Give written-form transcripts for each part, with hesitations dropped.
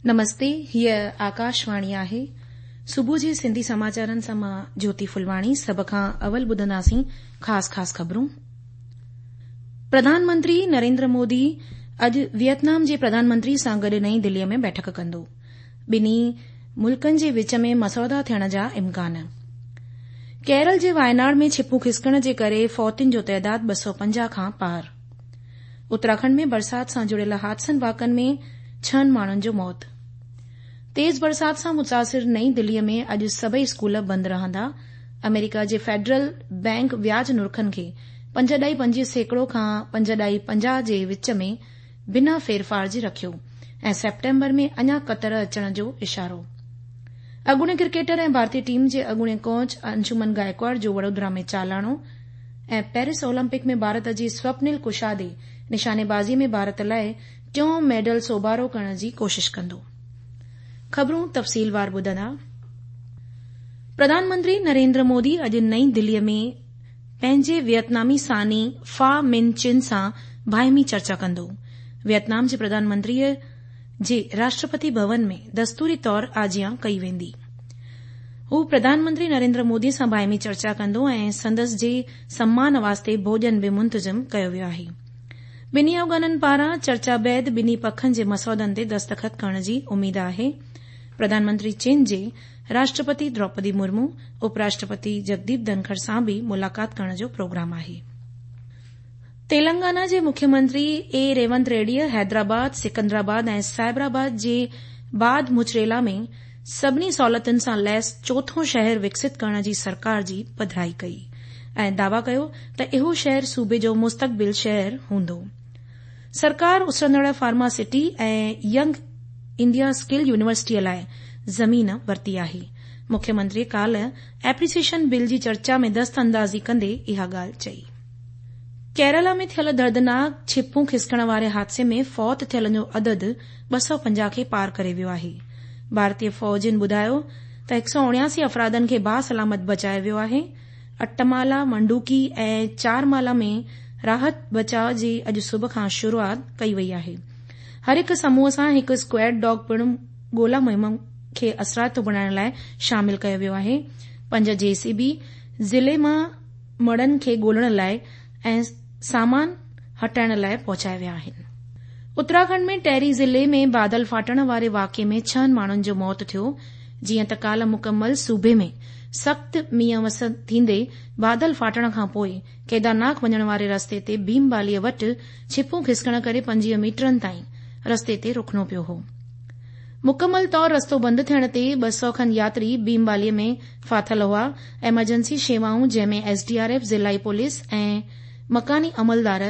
نمستي هيء آڪاشواڻي آهي. صبح جي سنڌي سماچارن سان مان جوتي ڦلواڻي سڀ کان اول ٻڌنداسين خاص خاص خبرون. پرڌان منتري نريندر مودي اڄ ويٽنام جي پرڌان منتري سان گڏ نئين دلي ۾ بيٺڪ ڪندو. ٻنهي ملڪن جي وچ ۾ مسودا ٿيڻ جا امڪان. ڪيرل جي وايناڙ ۾ ڇپون کسڪڻ جي ڪري فوتين جو تعداد 250 کان پار. اتراکنڊ ۾ برسات سان جڙيل حادثن واقعن ۾ ڇهن ماڻهن جو موت. تيز برسات سان متاثر نئين دلي ۾ اڄ سڀئي اسڪول بند رهندا. آمريڪا جي فيڊرل بئنڪ وياج نرخن کي 5.25% کان 5.50 جي وچ ۾ بنا ڦيرڦار جي رکيو ۽ سيپٽمبر ۾ اڃا ڪتر اچڻ جو اشارو. اڳوڻي ڪرڪيٽر ۽ ڀارتي ٽيم جي اڳوڻي ڪوچ انشومن گائڪواڙ جو وڙودرا ۾ چالاڻو ۽ پيرس اولمپڪ ۾ ڀارت جي سوپنل ڪشادي نشانيبازي ۾ ڀارت لاء ٽيون ميڊل سوڀارو ڪرڻ جي ڪوشش ڪندو. خبرون تفصيلوار ٻڌندا. پرڌان منتري نريندر مودي اڄ نئين دلي ۾ پنهنجي ويتنامي ثاني فا من چن سان باهمي چرچا ڪندو. ويتنام جي پرڌان منتري جي راشٽرپتي ڀون ۾ دستوري طور آجيان ڪئي ويندي. هو پرڌان منتري نريندر مودي سان باهمي چرچا ڪندو ۽ سندس جي سمان واسطي ڀوڄن به منتظم ڪيو ويو آهي. ٻنهي اڳواڻن پاران چرچا بعد ٻنهي پکن جي مسودن تي دستخط ڪرڻ جي اميد آهي. پرڌان منتري چين جي راشٽرپتي دروپدي مرمو، اپ راشٽرپتي جگديپ ڌنکڙ سان به ملاقات ڪرڻ جو پروگرام آهي. تيلنگانا جي مکيه منتري اي ريونت ريڊيء حيدرآباد، سڪندرآباد ۽ سائبرآباد جي بعد مچريلا ۾ سڀني سهولتن سان ليس چوٿون شهر وڪست ڪرڻ جي سرڪار جي پڌرائي ڪئي ۽ دعويٰ ڪيو ته اهو شهر صوبي جو مستقبل شهر هوندو. سرڪار اسرندڙ pharma city ۽ young India skill يونيورسٽيء لاء زمين ورتي آهي. مکيه منتري ڪالهه ايپريسيئيشن بل جي چرچا ۾ دست اندازي ڪندي اها ڳالهه چئي. ڪيرالا ۾ ٿيل دردناڪ ڇپون کسڪڻ واري حادثي ۾ فوت ٿيلن جو عدد 250 کي پار ڪري ويو آهي. ڀارتي فوجين ٻڌايو ته 179 افرادن کي باسلامت بچايو ويو آهي. اٽمالا، منڊوڪي ۽ چارمالا ۾ راحت بچاء جي اڄ صبح کان شروعات ڪئي وئي آهي. هر هڪ سموهه سان هڪ اسڪواڊ ڊاگ پڻ ڳولا مهم کي اثرائتو بڻائڻ لاء شامل ڪيو ويو آهي. پنج جي سي بي ضلعي مان مڙهن کي ڳولڻ لاء ۽ سامان هٽائڻ لاء پهچايا ويا آهن. اتراکنڊ ۾ ٽهري ضلعي ۾ بادل ڦاٽڻ واري واقعي ۾ ڇهن ماڻهن جو موت ٿيو، جيئن ته ڪالهه مڪمل صوبي ۾ سخت مينهن وس ٿيندي بادل ڦاٽڻ کانپوء ڪيدارناٿ وڃڻ واري رستي تي ڀيم باليء وٽ ڇپون کسڪڻ ڪري 25 ميٽرن تائين رستي تي رڪڻو پيو هو. مڪمل طور رستو بند ٿيڻ تي 200 کن ياتري ڀيم باليء ۾ ڦاٿل هئا. ايمرجنسي شيوائون جنهن ۾ ايس ڊي آر ايف، ضلعي پوليس ۽ مڪاني عملدار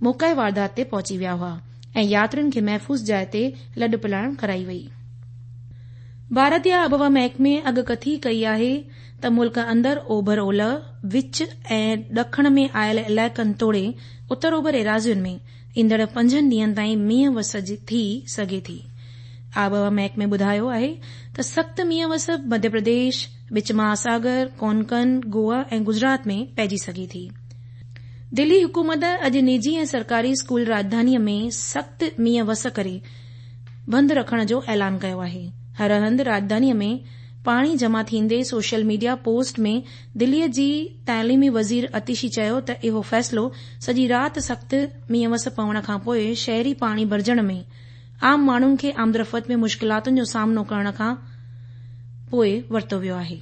موقعي واردات تي پهچي ويا هئا ۽ ياترين کي محفوظ جاء تي لڏپلاڻ ڪرائي وئي. ڀارتي آبهوا محڪمي اڳڪٿي ڪئي آهي ته ملڪ اندر اوڀر اولهه، وچ ۽ ڏکڻ ۾ آيل علائقن توڙي اتر اوڀر ايراضين ۾ ايندڙ پنجن ڏينهن تائين مينهن وس ٿي سگهي ٿي. آبهوا محڪمي ٻڌايو آهي ته سخت مينهن وس مڌيه پرديش، وچ مهاساگر، ڪونڪن، گوا ۽ گجرات ۾ پئجي سگهي ٿي. دلي حڪومت اڄ نجي ۽ سرڪاري اسڪول راڄڌانيء ۾ سخت مينهن وس ڪري بند رکڻ جو اعلان ڪيو آهي. هر هنڌ راڄڌانيء ۾ پاڻي جمع ٿيندي سوشل ميڊيا پوسٽ ۾ دليء جي تعليمي وزير اتيشي چيو ته اهو فيصلو سڄي رات سخت مينهن وس پوڻ کانپوء شهري پاڻي ڀرجڻ ۾ عام ماڻهن کي آمدرفت ۾ مشڪلاتن جو سامنو ڪرڻ کان پوء ورتو ويو آهي.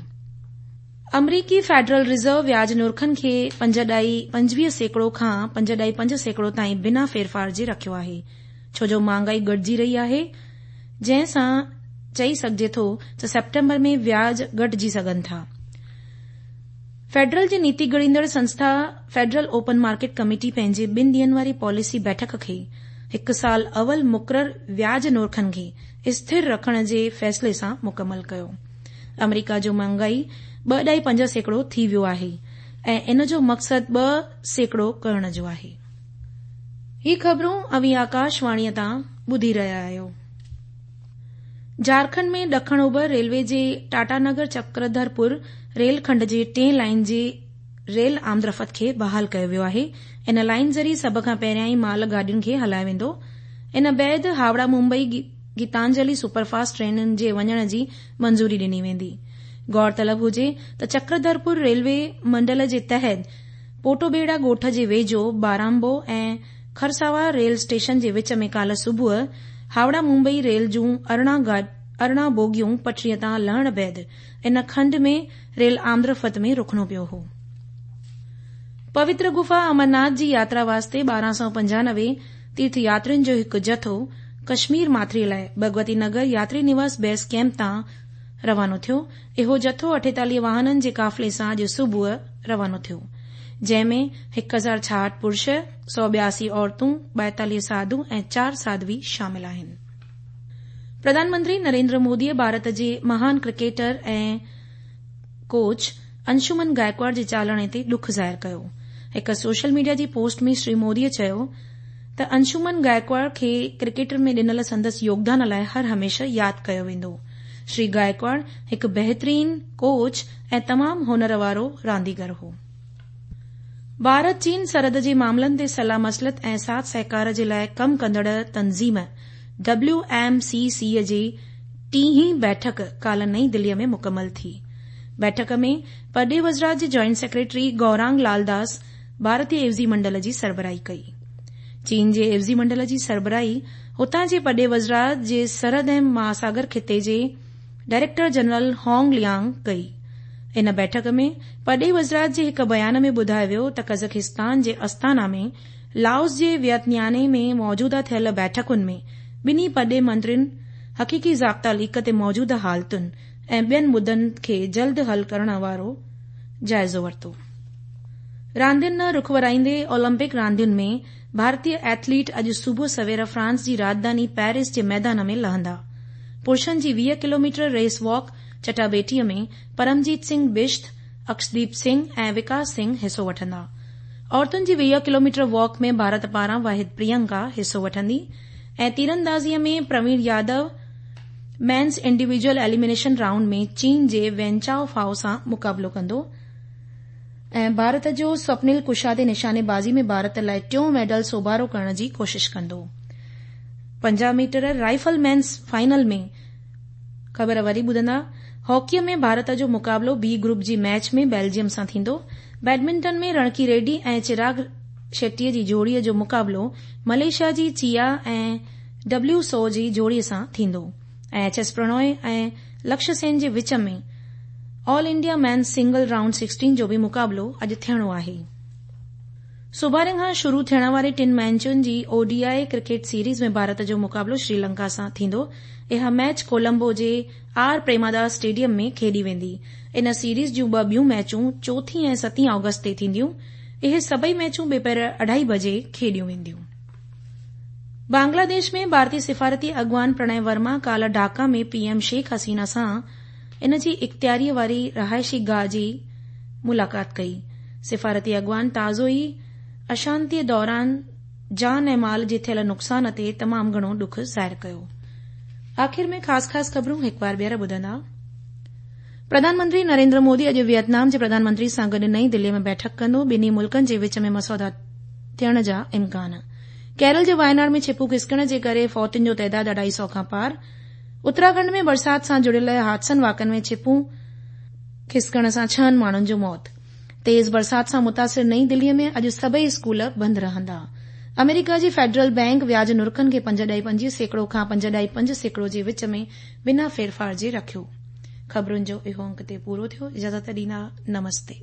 آمريڪي فيڊرل ريزرو وياج نرخن کي 5.25% کان 5.5% تائين بنا ڦيرڦار جي رکيو آهي ڇو جو مهانگائي گهٽجي رهي آهي جنهن سان چئي سگهجي ٿو ته سيپٽمبر ۾ وياج گهٽجي سگهن ٿا. فيڊرل جي نيتي گهڙيندڙ سنسٿا فيڊرل اوپن مارڪيٽ ڪميٽي پنهنجي ٻن ڏينهن واري پاليسي بيٺڪ کي هڪ سال اول مقرر وياج نرخن کي اسٿر رکڻ جي فيصلي سان مڪمل ڪيو. آمريڪا جو مهانگائي 2.5% ٿي ويو آهي ۽ ان جو مقصد 2% ڪرڻ جو آهي. هي خبرون اوهين آڪاش واڻيء تان ٻڌي رهيا آهيو. جهارکنڊ ۾ ڏکڻ اوڀر ريلوي جي ٽاٽا نگر چڪرڌرپور ريل کنڊ جي ٽئين لائين جي ريل آمدرفت کي بحال ڪيو ويو آهي. ان لائين ذريعي سڀ کان پهريائين مال گاڏين کي هلايو ويندو. ان بعد هاوڙا ممبئي گيتانجلي سپر فاسٽ ٽرينن جي وڃڻ جي منظوري ڏني ويندي. غور طلب هجي ته چڪرڌرپور ريلوي منڊل جي تحت پوٽوبيڙا ڳوٺ جي ويجهو بارامبو ۽ خرساوا ريل اسٽيشن جي وچ ۾ ڪالهه صبح هاوڙا ممبئي ريل جون 18 بوگيون پٽڙي تان لهڻ بعد ان کنڊ ۾ ريل آمدرفت ۾ رڪڻو پيو هو. پوتر گفا امرناٿ جي ياترا واسطي 1295 تيرٿ ياترين جو هڪ جٿو ڪشمير ماٿري لاء ڀڳوتي نگر ياتري نواس بيس ڪئمپ تان روانو ٿيو. اهو جٿو 48 واهنن جي قافلي سان اڄ صبح روانو ٿيو، جنهن ۾ 1066 پرش، 182 عورتون، 42 ساڌو ۽ 4 ساڌوي شامل آهن. پرڌان منتري نريندر موديء ڀارت جي مهان ڪرڪيٽر ۽ ڪوچ انشومن گائڪواڙ جي چالاڻي تي ڏک ظاهر ڪيو. هڪ سوشل ميڊيا جي پوسٽ ۾ شري موديء چيو ته انشومن گائڪواڙ کي ڪرڪيٽ ۾ ڏنل سندس يوگدان لاء هر هميشه ياد ڪيو ويندو. شري گائڪواڙ هڪ بهترين ڪوچ ۽ تمام هنر وارو رانديگر هو. ڀارت چين سرحد جي معاملن تي صلاح مصلحت ۽ ساٿ سهڪار جي لاء ڪم ڪندڙ تنظيم ڊبليو ايم سي سي جي ٽيهين بيٺڪ ڪالهه نئين دليء ۾ مڪمل ٿي. بيٺڪ ۾ پرڏيهي وزارت جي جوائنٽ سيڪريٽري گورانگ لال داس ڀارتي عيوضي منڊل جي سربراهي ڪئي. چين جي عيوضي منڊل جي سربراهي هتان جي پرڏيهي وزارت جي سرحد ۽ مهاساگر خطي جي ڊائريڪٽر جنرل هانگ ليانگ ڪئي. ان بيٺڪ ۾ پرڏيهي وزارت جي هڪ بيان ۾ ٻڌايو ويو ته قزاقستان جي استانا ۾ لائوس جي وينتياني ۾ موجوده ٿيل بيٺڪن ۾ ٻنهي پرڏيهي منترين حقيقي ضابطا ليڪ تي موجوده حالتن ۽ ٻين مدن کي جلد حل ڪرڻ وارو جائزو ورتو. راندين ڏانهن رخ ورائيندي اولمپڪ راندين ۾ ڀارتي ايٿليٽ اڄ صبح سوير فرانس جي راڄڌاني پيرس جي ميدان ۾ لهندا. پرشن جي 20 ڪلوميٽر ريس واڪ چٽاڀيٽي ۾ پرمجيت سنگهه بشت، اڪشديپ سنگهه ۽ وڪاس سنگهه حصو وٺندا. عورتن جي 20 ڪلوميٽر واڪ ۾ ڀارت پاران واحد پريانڪا حصو وٺندي ۽ تيراندازي ۾ Praveen Yadav men's individual elimination round ۾ چين جي وينچائو فائو سان مقابلو ڪندو ۽ ڀارت جو سوپنل ڪشادي نشاني بازي ۾ ڀارت لاء ٽيون ميڊل سوڀارو ڪرڻ جي ڪوشش ڪندو. 50 ميٽر رائفل مينز فائنل ۾ خبر وري ٻڌندا، هاڪيء ۾ ڀارت جو مقابلو بي گروپ جي ميچ ۾ بيلجيم سان ٿيندو، بيڊمنٽن ۾ رڻڪي ريڊي ۽ چراغ شيٽي جي جوڙي جو مقابلو ملائيشيا جي چيا ۽ ڊبليو سو جي جوڙي سان ٿيندو ۽ ايڇ ايس پرڻوي ۽ لڪشيه سين جي وچ ۾ all India men's single round 16 جو به مقابلو اڄ ٿيڻو آهي. سڀاڻي کان شروع ٿيڻ واري ٽن ميچن جي O D I cricket series ۾ Bharat جو مقابلو شريلنڪا سان ٿيندو. اها ميچ ڪولمبو جي آر پريماداس اسٽيڊيم ۾ کيڏي ويندي. ان سيريز جون ٻه ٻيون ميچون چوٿين ۽ ستين آگسٽ تي ٿينديون. اهي سڀئي ميچون ٻپهر اڍائي بجي کيڏيون وينديون. بنگلاديش ۾ ڀارتي سفارتي اڳواڻ پرڻي ورما ڪالهه ڍاڪا ۾ پي ايم شيخ حسينه سان ان جي اختياريء واري رهائشي گاهه جي ملاقات ڪئي. سفارتي اڳواڻ تازو ئي اشانتيء دوران جان ۽ مال جي ٿيل نقصان تي تمام گهڻو ڏک ظاهر ڪيو. آخر ۾ خاص خاص خبرون هڪ وار ٻيهر ٻڌندا. پرڌان منتري نريندر مودي اڄ ويٽنام جي پرڌان منتري سان گڏ نئين دليء ۾ بيٺڪ ڪندو، ٻنهي ملڪن جي وچ ۾ مسودا ٿيڻ جا امڪان. ڪيرل جي وايناڙ ۾ ڇپون کسڪڻ جي ڪري فوتين جو تعداد اڍائي سئو کان پار. اتراکنڊ ۾ برسات سان جڙيل حادثن واقعن ۾ ڇپون کسڪڻ سان ڇهن ماڻهن جو موت. تيز برسات سان متاثر نئين دليء ۾ اڄ سڀئي اسڪول بند رهندا. آمريڪا جي فيڊرل بئنڪ وياج نرخن کي 5.25% کان 5.5% جي وچ ۾ بنا ڦيرڦار جي رکيو. خبرن جو اهو انڪ اتي پورو ٿيو. اجازت ڏيندا. نمستي.